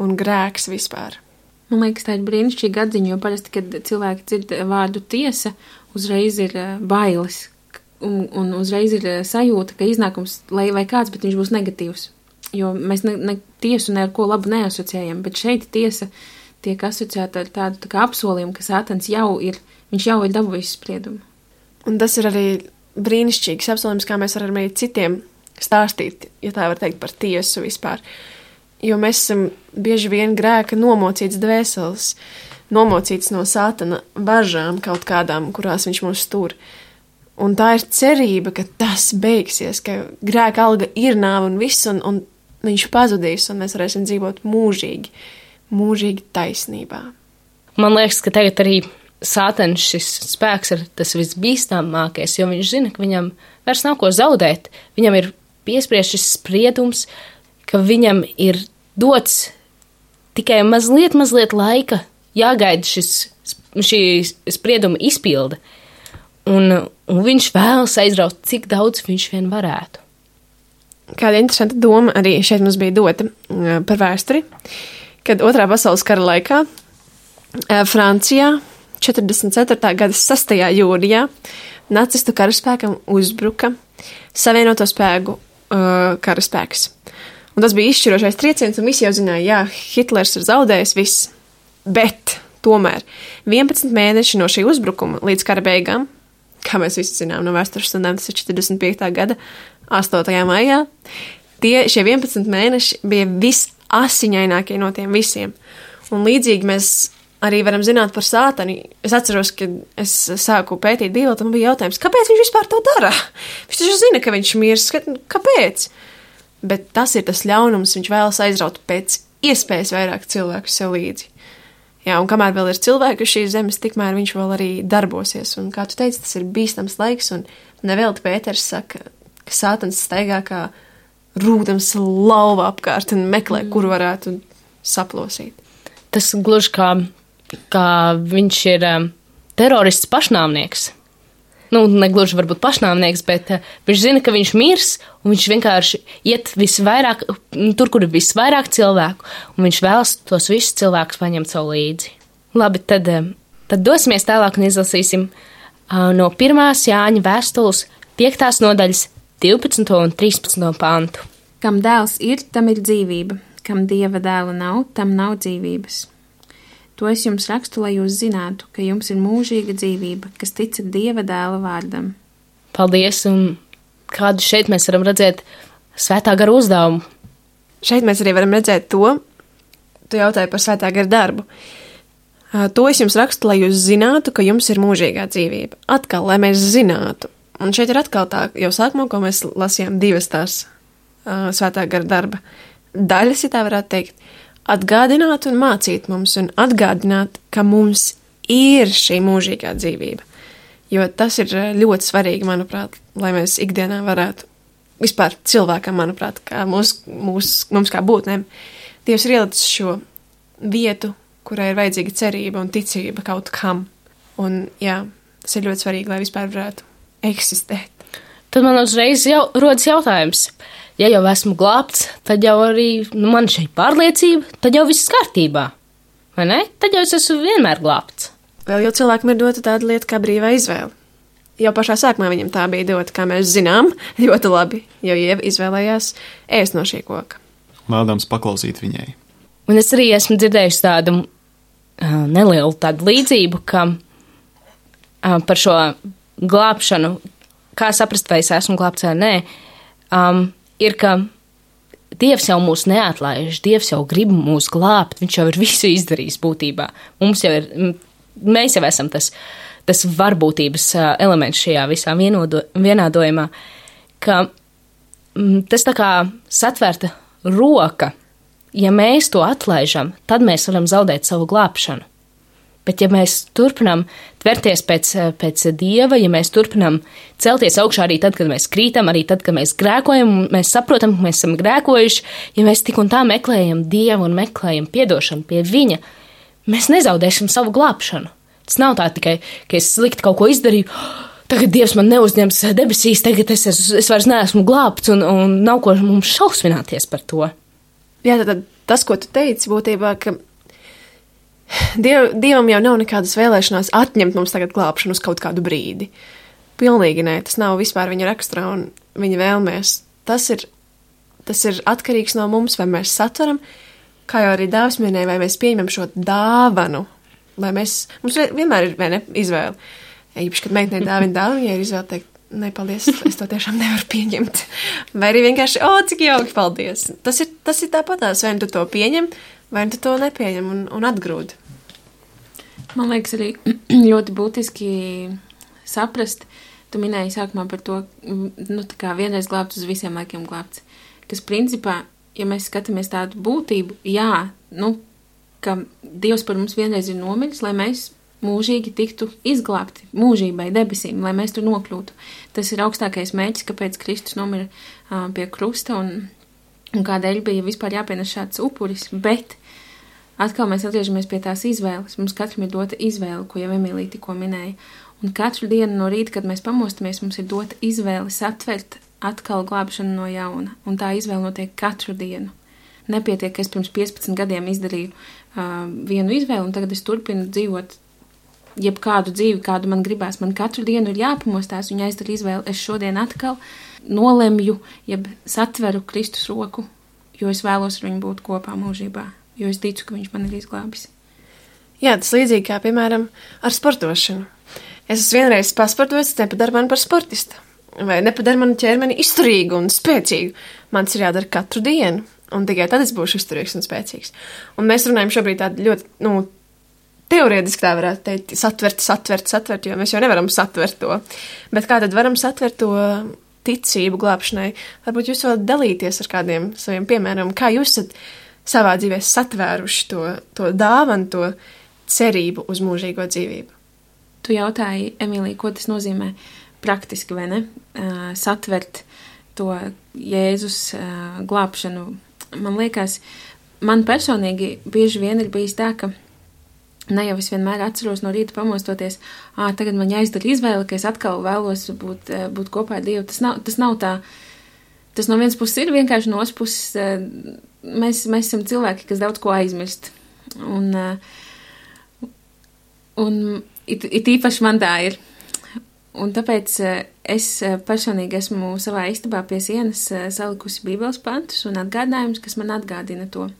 un grēks vispār. Man liekas, tā ir brīnišķīga atziņa, jo parasti, kad cilvēki dzird vārdu tiesa, uzreiz ir eh, bailes un, un uzreiz ir eh, sajūta, ka iznākums, lai vai kāds, bet viņš būs negatīvs. Jo mēs ne, ne tiesu ne ar ko labu neasociējam, bet šeit tiesa tiek asociēta ar tādu tā kā apsolījumu, ka Sātans jau ir, viņš jau ir dabūjis spriedumu. Un tas ir arī brīnišķīgs apsolījums, kā mēs varam arī citiem stāstīt, ja tā var teikt, par tiesu vispār. Jo mēs esam bieži vien grēka nomocīts dvēseles, nomocīts no Sātana važām kaut kādām, kurās viņš mūs tur. Un tā ir cerība, ka tas beigsies, ka grēka alga ir nāve un viss, un, un viņš pazudīs, un mēs varēsim dzīvot mūžīgi, mūžīgi taisnībā. Man liekas, ka tagad arī Sātans šis spēks ir tas visbīstamākais, jo viņš zina, ka viņam vairs nav ko zaudēt. Viņam ir piespriezt šis spriedums, ka viņam ir dots tikai mazliet, mazliet laika jāgaida šis, šī sprieduma izpilde. Un, un viņš vēlas aizraut, cik daudz viņš vien varētu. Kāda interesanta doma arī šeit mums bija dota uh, par vēsturi, kad otrā pasaules kara laikā uh, Francijā četrdesmit ceturtā gada sastajā jūlijā nacistu karaspēkam uzbruka Savienoto spēku uh, karaspēks. Un tas bija izšķirošais trieciens, un visi jau zināja, jā, Hitlers ir zaudējis viss. Bet tomēr vienpadsmit mēneši no šī uzbrukuma līdz kara beigām, kā mēs visi zinām no vēstures stundām, tas ir četrdesmit piektā gada astotajā maijā, tie šie vienpadsmit mēneši bija visasiņainākie no tiem visiem. Un līdzīgi mēs arī varam zināt par Sātani. Es atceros, kad es sāku pētīt Bībeli, tam bija jautājums, kāpēc viņš vispār to dara? Viņš taču zina, ka viņš mirs, kāpēc? Bet tas ir tas ļaunums, viņš vēlas aizraut pēc iespējas vairāk cilvēku sev līdzi. Jā, un kamēr vēl ir cilvēki uz šīs zemes, tikmēr viņš vēl arī darbosies. Un kā tu teici, tas ir bīstams laiks, un nevelti Pēters saka, ka Sātans staigā kā rūdams lauva apkārt un meklē, mm. kur varētu saplosīt. Tas gluži kā, kā viņš ir um, terorists pašnāvnieks. Nu, negluži varbūt pašnāvnieks, bet uh, viņš zina, ka viņš mirs, un viņš vienkārši iet visvairāk, tur, kur ir visvairāk cilvēku, un viņš vēlas tos visus cilvēkus paņemt savu līdzi. Labi, tad, uh, tad dosimies tālāk un izlasīsim uh, no pirmās Jāņa vēstules piektās nodaļas divpadsmito un trīspadsmito pantu. Kam dēls ir, tam ir dzīvība, kam dieva dēla nav, tam nav dzīvības. To es jums rakstu, lai jūs zinātu, ka jums ir mūžīga dzīvība, kas ticat dieva dēla vārdam. Paldies, un kādu šeit mēs varam redzēt svētā gara uzdevumu. Šeit mēs arī varam redzēt to, tu jautāji par svētā gara darbu. To es jums rakstu, lai jūs zinātu, ka jums ir mūžīgā dzīvība. Atkal, lai mēs zinātu. Un šeit ir atkal tā, jau sākumā, ko mēs lasījām divas tās uh, svētā gara darba daļas, ja tā varētu teikt. Atgādināt un mācīt mums, un atgādināt, ka mums ir šī mūžīgā dzīvība. Jo tas ir ļoti svarīgi, manuprāt, lai mēs ikdienā varētu, vispār cilvēkam, manuprāt, kā mūs, mūs, mums kā būtnēm, Dievs ir ielicis šo vietu, kurai ir vajadzīga cerība un ticība kaut kam. Un jā, tas ir ļoti svarīgi, lai vispār varētu eksistēt. Tad man uzreiz jau rodas jautājums. Ja jau esmu glābts, tad jau arī nu, man šī pārliecība, tad jau viss kārtībā. Vai ne? Tad jau es esmu vienmēr glābts. Vēl jau cilvēkam ir dota tāda lieta kā brīvā izvēle. Jau pašā sākumā viņam tā bija dota, kā mēs zinām, ļoti labi, jo Ieva izvēlējās ēst no šī koka. Vēlams paklausīt viņai. Un es arī esmu dzirdējusi tādu uh, nelielu tādu līdzību, ka uh, par šo glābšanu, kā saprast, vai es esmu glābts vai nē, um, ir, ka Dievs jau mūs neatlaiž, Dievs jau grib mūs glābt, viņš jau ir visu izdarījis būtībā. Mums jau ir, mēs jau esam tas, tas varbūtības elements šajā visā vienodo, vienādojumā, ka tas tā kā satvērta roka, ja mēs to atlaižam, tad mēs varam zaudēt savu glābšanu. Bet ja mēs turpinām tverties pēc, pēc Dieva, ja mēs turpinām celties augšā arī tad, kad mēs krītam, arī tad, kad mēs grēkojam, mēs saprotam, ka mēs esam grēkojuši, ja mēs tik un tā meklējam Dievu un meklējam piedošanu pie Viņa, mēs nezaudēsim savu glābšanu. Tas nav tā tikai, ka es slikti kaut ko izdarīju, tagad Dievs man neuzņems debesīs, tagad es, es, es vairs neesmu glābts un, un nav ko mums šausmināties par to. Jā, tad tas, ko tu teici, būtībā, ka Diev, Dievam jau nav nekādas vēlēšanās atņemt mums tagad glābšanu uz kaut kādu brīdi. Pilnīgi nē, tas nav vispār viņa raksturā un viņa vēlmēs. Tas ir, tas ir atkarīgs no mums, vai mēs satveram, kā jau arī Dāvis minēja, vai mēs pieņemam šo dāvanu, vai mēs, mums vienmēr ir, vai ne, izvēle. Īpaši, kad meitenei dāvina dāvinu, ja ir izvēle teikt, ne, paldies, es to tiešām nevaru pieņemt. Vai arī vienkārši, o, cik jauki, paldies. Tas ir, tas ir tāpatās, vai tu to pieņem, vai tu to nepieņem un, un atgrūd. Man liekas arī ļoti būtiski saprast, tu minēji sākumā par to, nu, tā kā vienreiz glābts uz visiem laikiem glābts. Kas principā, ja mēs skatāmies tādu būtību, jā, nu, ka Dievs par mums vienreiz ir nomiris, lai mēs mūžīgi tiktu izglābti mūžībai, debesīm, lai mēs tur nokļūtu. Tas ir augstākais mērķis, kāpēc Kristus nomira uh, pie krusta un, un kādēļ bija vispār jāpienes šāds upuris, bet atkal mēs atgriežamies pie tās izvēles. Mums katram ir dota izvēle, ko jau Emīlija tikko minēja. Un katru dienu no rīta, kad mēs pamostamies, mums ir dota izvēle satvert atkal glābšanu no jauna. Un tā izvēle notiek katru dienu. Nepietiek, ka es pirms piecpadsmit gadiem izdarīju uh, vienu izvēli, un tagad es turpinu dzīvot jebkādu dzīvi, kādu man gribās. Man katru dienu ir jāpamostās un jāizdara izvēle. Es šodien atkal nolemju, jeb satveru Kristus roku, jo es vēlos ar viņu būt kopā mūžībā, jo es ticu, ka viņš man ir izglābis. Jā, tas līdzīgi kā, piemēram, ar sportošanu. Es esmu vienreiz pasportojis, tas nepadara mani par sportistu, vai nepadara manu ķermeni izturīgu un spēcīgu. Man tas ir jādara katru dienu, un tikai tad es būšu izturīgs un spēcīgs. Un mēs runājam šobrīd tādu ļoti, nu, teorētiski tā varētu teikt, satvert, satvert, satvert, jo mēs jau nevaram satvert to. Bet kā tad varam satvert to ticību glābšanai? Varbūt jūs varat dalīties ar kādiem saviem piemēram, kā jūs esat savā dzīvē satvēruši to, to dāvanu, to cerību uz mūžīgo dzīvību. Tu jautāji, Emīlija, ko tas nozīmē praktiski, vai ne? Uh, satvert to Jēzus uh, glābšanu. Man liekas, man personīgi bieži vien ir bijis tā, ka ne jau es vienmēr atceros no rīta pamostoties, ā, tagad man jāizdara izvēle, ka es atkal vēlos būt, būt kopā ar Dievu. Tas nav, tas nav tā, tas no vienas puses ir vienkārši no otras puses, mēs, mēs esam cilvēki, kas daudz ko aizmirst. Un, un it, it īpaši man tā ir. Un tāpēc es personīgi esmu savā istabā pie sienas salikusi bībeles pantus un atgādinājumus, kas man atgādina to.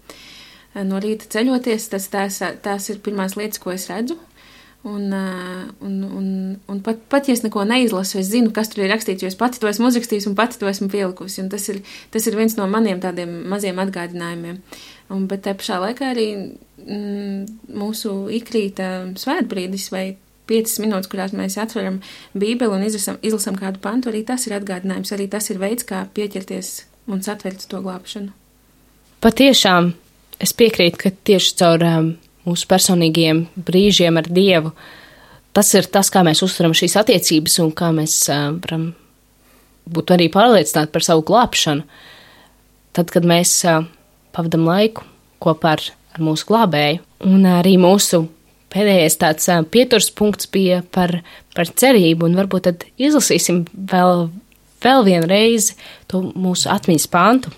No rīta ceļoties, tas tās, tās ir pirmās lietas, ko es redzu. Un, un, un, un pat, pat, ja es neko neizlasu, es zinu, kas tur ir rakstīts, jo es pati to esmu uzrakstījis un pati to esmu pielikusi. Un tas ir, tas ir viens no maniem tādiem maziem atgādinājumiem. Un, bet te pašā laikā arī mm, mūsu ikrīta svētbrīdis vai piecas minūtes, kurās mēs atveram Bībeli un izlasam, izlasam kādu pantu, arī tas ir atgādinājums, arī tas ir veids, kā pieķerties un satvert to glābšanu. Patiešām. Es piekrītu, ka tieši caur um, mūsu personīgiem brīžiem ar Dievu tas ir tas, kā mēs uztveram šīs attiecības un kā mēs uh, varam būt arī pārliecināti par savu glābšanu. Tad, kad mēs uh, pavadam laiku kopā ar, ar mūsu glābēju. Un arī mūsu pēdējais tāds uh, pieturs punkts bija par, par cerību, un varbūt tad izlasīsim vēl, vēl vienu reizi to mūsu atmiņas pantu,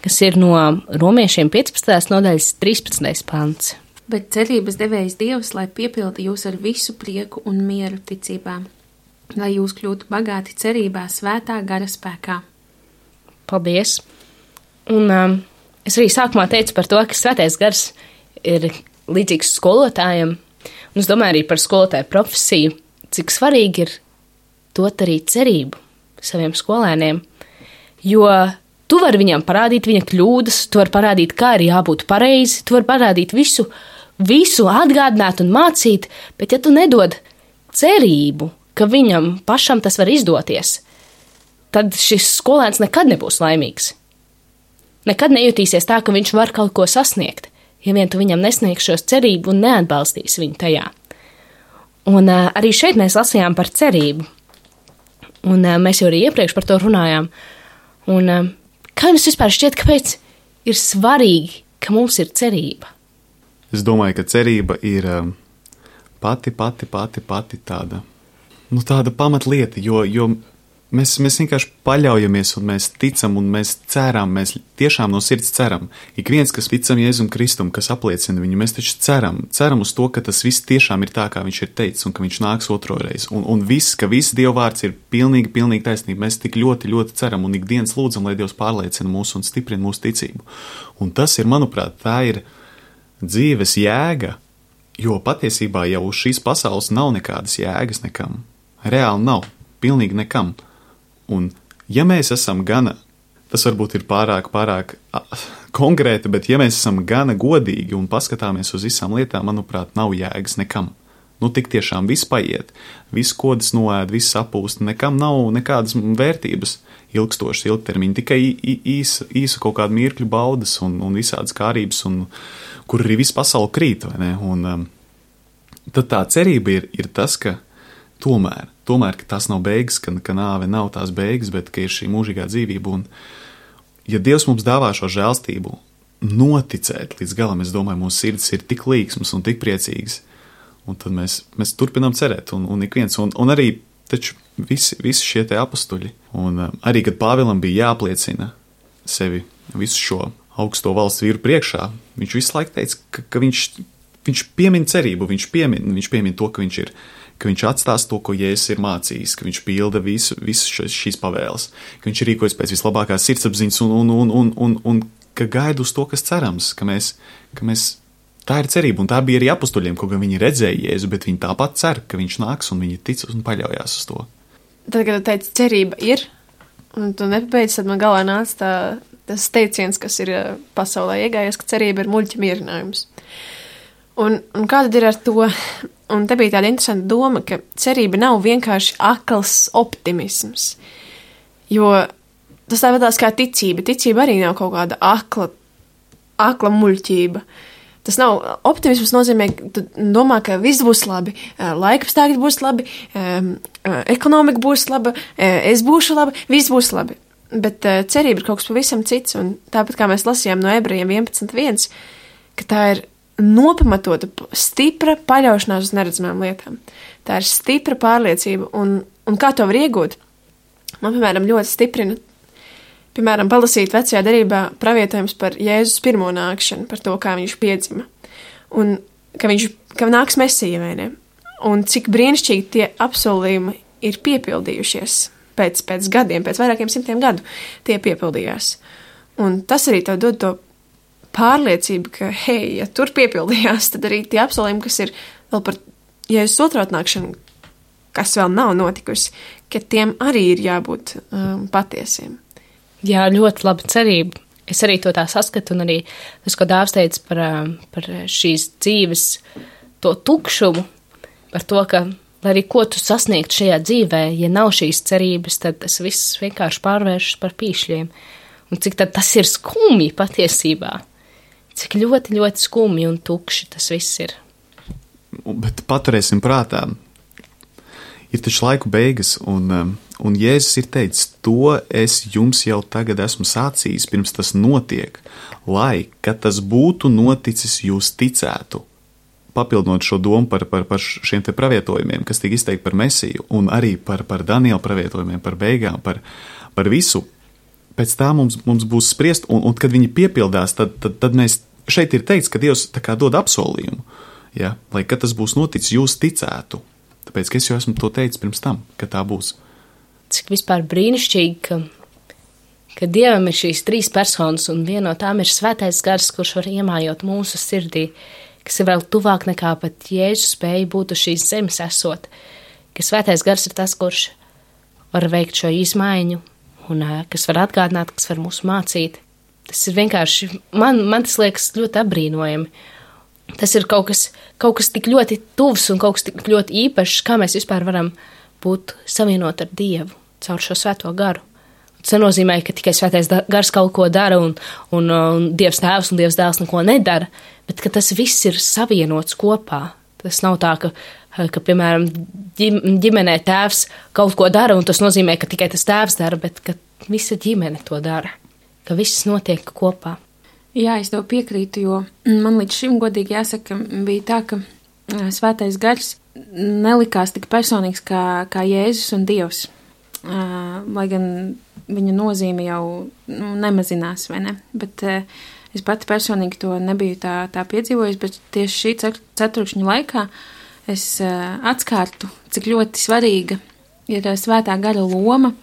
kas ir no Romiešiem piecpadsmitās nodaļas trīspadsmitais pants. Bet cerības devējs Dievs, lai piepilda jūs ar visu prieku un mieru ticībā, lai jūs kļūtu bagāti cerībā svētā gara spēkā. Paldies! Un um, es arī sākumā teicu par to, ka svētais gars ir līdzīgs skolotājiem, un es domāju arī par skolotāju profesiju, cik svarīgi ir dot arī cerību saviem skolēniem, jo Tu vari viņam parādīt viņa kļūdas, tu vari parādīt, kā ir jābūt pareizi, tu vari parādīt visu, visu atgādināt un mācīt, bet ja tu nedod cerību, ka viņam pašam tas var izdoties, tad šis skolēns nekad nebūs laimīgs. Nekad nejutīsies tā, ka viņš var kaut ko sasniegt, ja vien tu viņam nesniegsi šos cerību un neatbalstīsi viņu tajā. Un uh, arī šeit mēs lasījām par cerību. Un uh, mēs jau arī iepriekš par to runājām. Un uh, kā jums vispār šķiet, kāpēc ir svarīgi, ka mums ir cerība? Es domāju, ka cerība ir um, pati, pati, pati, pati tāda, nu tāda pamatlieta, jo, jo Mēs, mēs vienkārši paļaujamies un mēs ticam un mēs ceram, mēs tiešām no sirds ceram. Ik viens, kas ticam Jēzum Kristum, kas apliecina viņu, mēs taču ceram, ceram uz to, ka tas viss tiešām ir tā, kā viņš ir teicis un ka viņš nāks otro reizi. Un, un viss, ka viss Dieva vārds ir pilnīgi, pilnīgi taisnība. Mēs tik ļoti, ļoti ceram un ikdienas lūdzam, lai Dievs pārliecina mūs un stiprina mūsu ticību. Un tas ir, manuprāt, tā ir dzīves jēga, jo patiesībā jau uz šīs pasaules nav nekādas jēgas nekam. Reāli nav, pilnīgi nekam. Un, ja mēs esam gana, tas varbūt ir pārāk, pārāk a, konkrēti, bet ja mēs esam gana godīgi un paskatāmies uz visām lietām, manuprāt, nav jēgas nekam. Nu, tik tiešām viss paiet, viss kodas noēd, viss sapūst, nekam nav nekādas vērtības ilgstošas ilgtermiņa, tikai īsa, īsa kaut kāda mirkļu baudas un, un visādas kārības, un, kur arī viss pasauli krīt, vai ne? Un um, tad tā cerība ir, ir tas, ka tomēr, tomēr, ka tās nav beigas, ka, ka nāve nav tās beigas, bet ka ir šī mūžīgā dzīvība. Un, ja Dievs mums dāvā šo žēlstību, noticēt līdz galam, es domāju, mūsu sirds ir tik līksmas un tik priecīgas, un tad mēs, mēs turpinām cerēt, un, un ik viens, un, un arī taču visi, visi šie te apustuļi, un um, arī, kad Pāvilam bija jāpliecina sevi visu šo augsto valsts vīru priekšā, viņš visu laiku teica, ka, ka viņš, viņš piemin cerību, viņš piemin, viņš piemin to, ka viņš ir ka viņš atstās to, ko Jēzus ir mācījis, ka viņš pilda visu, visu šīs pavēles, ka viņš rīkojas pēc vislabākās sirdsapziņas un, un, un, un, un, un ka gaida uz to, kas cerams, ka mēs, ka mēs, tā ir cerība, un tā bija arī apustuļiem, kaut gan viņi redzēja Jēzu, bet viņi tāpat cer, ka viņš nāks, un viņi tic un paļaujās uz to. Tad, kad tu teici, cerība ir, un tu nepabeidz, tad man galvā nāca tā, tas teiciens, kas ir pasaulē iegājies, ka cerība ir muļķa mierinājums. Un, un kā tad ir ar to? Un te bija tāda interesanta doma, ka cerība nav vienkārši akls optimisms, jo tas tā vadās kā ticība. Ticība arī nav kaut kāda akla, akla muļķība. Tas nav optimisms nozīmē, ka tu domā, ka viss būs labi, laikapstākļi būs labi, ekonomika būs laba, es būšu labi, viss būs labi. Bet cerība ir kaut kas pavisam cits, un tāpat kā mēs lasījām no Ebrejiem vienpadsmit viens, ka tā ir nopamatota, stipra paļaušanās uz neredzamām lietām. Tā ir stipra pārliecība, un, un kā to var iegūt? Man, piemēram, ļoti stiprina, piemēram, palasīt vecajā derībā pravietojums par Jēzus pirmo nākšanu, par to, kā viņš piedzima, un ka viņš, ka nāks Mesija, vai ne? Un cik brīnišķīgi tie apsolījumi ir piepildījušies pēc, pēc gadiem, pēc vairākiem simtiem gadu tie piepildījās. Un tas arī tev dod to pārliecība, ka, hei, ja tur piepildījās, tad arī tie apsolījumi, kas ir vēl par Jēzus otro atnākšanu, kas vēl nav notikusi, ka tiem arī ir jābūt um, patiesiem. Jā, ļoti laba cerība. Es arī to tā saskatu, un arī tas, ko Dāvs teica par, par šīs dzīves to tukšumu, par to, ka, lai arī ko tu sasniegt šajā dzīvē, ja nav šīs cerības, tad tas viss vienkārši pārvēršas par pīšļiem. Un cik tad tas ir skumji patiesībā. Cik ļoti, ļoti skumji un tukši tas viss ir. Bet paturēsim prātā, ir taču laiku beigas, un, un Jēzus ir teicis, to es jums jau tagad esmu sācījis, pirms tas notiek, lai, kad tas būtu noticis, jūs ticētu. Papildinot šo domu par, par, par šiem te pravietojumiem, kas tika izteikti par Mesiju, un arī par, par Daniela pravietojumiem, par beigām, par, par visu. Pēc tā mums, mums būs spriest, un, un kad viņi piepildās, tad, tad, tad mēs šeit ir teikts, ka Dievs tā kā dod apsolījumu, ja? Lai, kad tas būs noticis, jūs ticētu. Tāpēc, ka es jau esmu to teicis pirms tam, ka tā būs. Cik vispār brīnišķīgi, ka, ka Dievam ir šīs trīs personas, un viena no tām ir svētais gars, kurš var iemājot mūsu sirdī, kas ir vēl tuvāk nekā pat Jēzus spēja būt uz šīs zemes esot, ka svētais gars ir tas, kurš var veikt šo izmaiņu, un kas var atgādināt, kas var mūs mācīt. Tas ir vienkārši, man, man tas liekas ļoti apbrīnojami. Tas ir kaut kas, kaut kas tik ļoti tuvs un kaut kas tik ļoti īpašs, kā mēs vispār varam būt savienot ar Dievu caur šo svēto garu. Tas nenozīmē, ka tikai svētais gars kaut ko dara un, un, un Dievs tēvs un Dievs dēls neko nedara, bet ka tas viss ir savienots kopā. Tas nav tā, ka, ka piemēram, ģimenē tēvs kaut ko dara un tas nozīmē, ka tikai tas tēvs dara, bet ka visa ģimene to dara, ka viss notiek kopā. Jā, es tev piekrītu, jo man līdz šim godīgi jāsaka, bija tā, ka svētais gars nelikās tik personīgs kā, kā Jēzus un Dievs. Uh, lai gan viņa nozīme jau nu, nemazinās, vai ne? Bet uh, es pati personīgi to nebiju tā, tā piedzīvojis, bet tieši šī ceturkšņa laikā es uh, atskārtu, cik ļoti svarīga ir uh, svētā gara loma,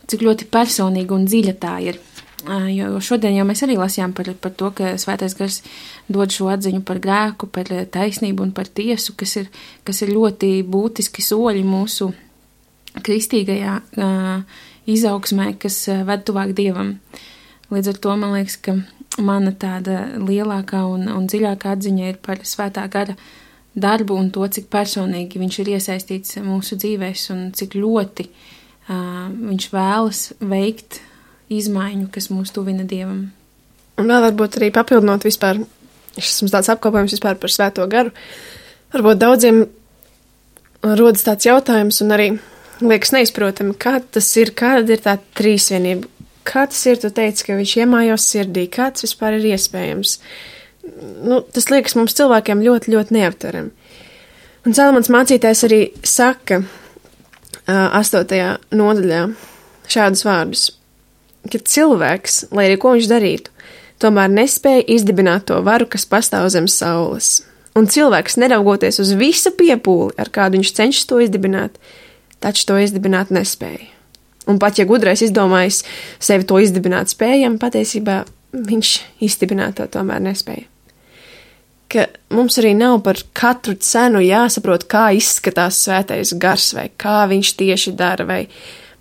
cik ļoti personīga un dziļa tā ir. Uh, jo šodien jau mēs arī lasījām par, par to, ka svētais gars dod šo atziņu par grēku, par taisnību un par tiesu, kas ir, kas ir ļoti būtiski soļi mūsu kristīgajā uh, izaugsmē, kas uh, ved tuvāk Dievam. Līdz ar to man liekas, ka mana tāda lielākā un, un dziļākā atziņa ir par svētā gara darbu un to, cik personīgi viņš ir iesaistīts mūsu dzīvēs un cik ļoti uh, viņš vēlas veikt izmaiņu, kas mūs tuvina Dievam. Un vēl varbūt arī papildinot vispār, šis mums tāds apkopojums vispār par svēto garu, varbūt daudziem rodas tāds jautājums un arī liekas neizprotami, kā tas ir, kāda ir tā trīsvienība, kā tas ir, tu teici, ka viņš iemājos sirdī, kā tas vispār ir iespējams. Nu, tas liekas mums cilvēkiem ļoti, ļoti neaptverami. Un Salamans mācītājs arī saka astotajā nodaļā šādus vārdus, ka cilvēks, lai arī ko viņš darītu, tomēr nespēja izdibināt to varu, kas pastāv zem saules. Un cilvēks, neraugoties uz visu piepūli, ar kādu viņš cenšas to izdibināt, taču to izdibināt nespēja. Un pat, ja gudrais izdomājis sevi to izdibināt spējam, patiesībā viņš izdibināt to tomēr nespēja. Ka mums arī nav par katru cenu jāsaprot, kā izskatās svētais gars, vai kā viņš tieši dara, vai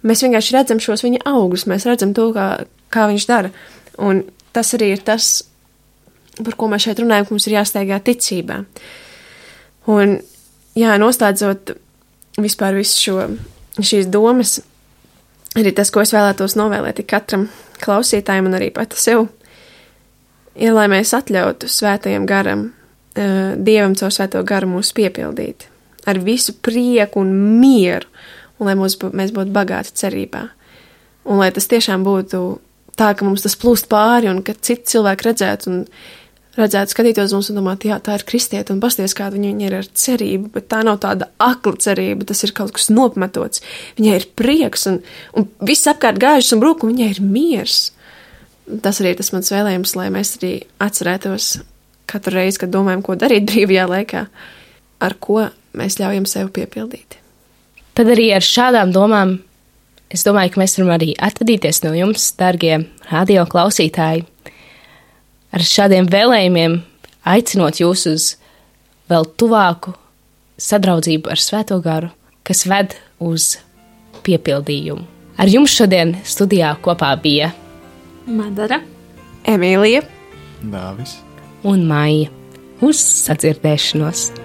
mēs vienkārši redzam šos viņa augus, mēs redzam to, kā, kā viņš dara. Un tas arī ir tas, par ko mēs šeit runājam, ka mums ir jāsteigā ticībā. Un, jā, noslēdzot vispār visu šo, šīs domas, arī tas, ko es vēlētos novēlēt katram klausītājam un arī pati sev, ir, lai mēs atļautu svētajam garam, Dievam caur svēto garu mūs piepildīt ar visu prieku un mieru, un lai mūs, mēs būtu bagāti cerībā. Un lai tas tiešām būtu tā, ka mums tas plūst pāri un ka citi cilvēki redzētu un redzētu, skatītos mums un domāt, jā, tā ir kristieta, un pasties, kāda viņa, viņa ir ar cerību, bet tā nav tāda akla cerība, tas ir kaut kas nopmetots. Viņai ir prieks, un, un viss apkārt gāžas un brūk, un viņai ir miers. Tas arī ir tas mans vēlējums, lai mēs arī atcerētos katru reizi, kad domājam, ko darīt brīvajā laikā, ar ko mēs ļaujam sev piepildīt. Tad arī ar šādām domām es domāju, ka mēs varam arī atvadīties no jums, dargie radio klausītāji, ar šādiem vēlējumiem, aicinot jūs uz vēl tuvāku sadraudzību ar svēto garu, kas ved uz piepildījumu. Ar jums šodien studijā kopā bija Madara, Emīlija, Dāvis un Maija. Uz sadzirdēšanos!